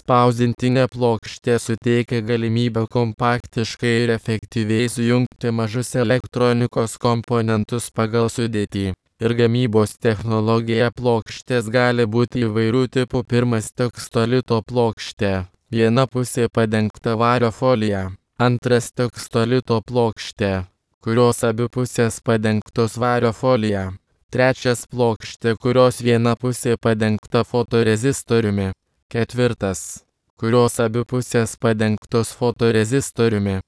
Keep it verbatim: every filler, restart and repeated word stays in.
Spausdintinė plokštė suteikia galimybę kompaktiškai ir efektyviai sujungti mažus elektronikos komponentus pagal sudėtį ir gamybos technologiją. Plokštės gali būti įvairių tipų. Pirmas – tekstolito plokštė. Viena pusė padengta vario folija. Antras – tekstolito plokštė, kurios abi pusės padengtos vario folija. Trečias – plokštė, kurios viena pusė padengta fotorezistoriumi. Ketvirtas – kurios abi pusės padengtos fotorezistoriumi.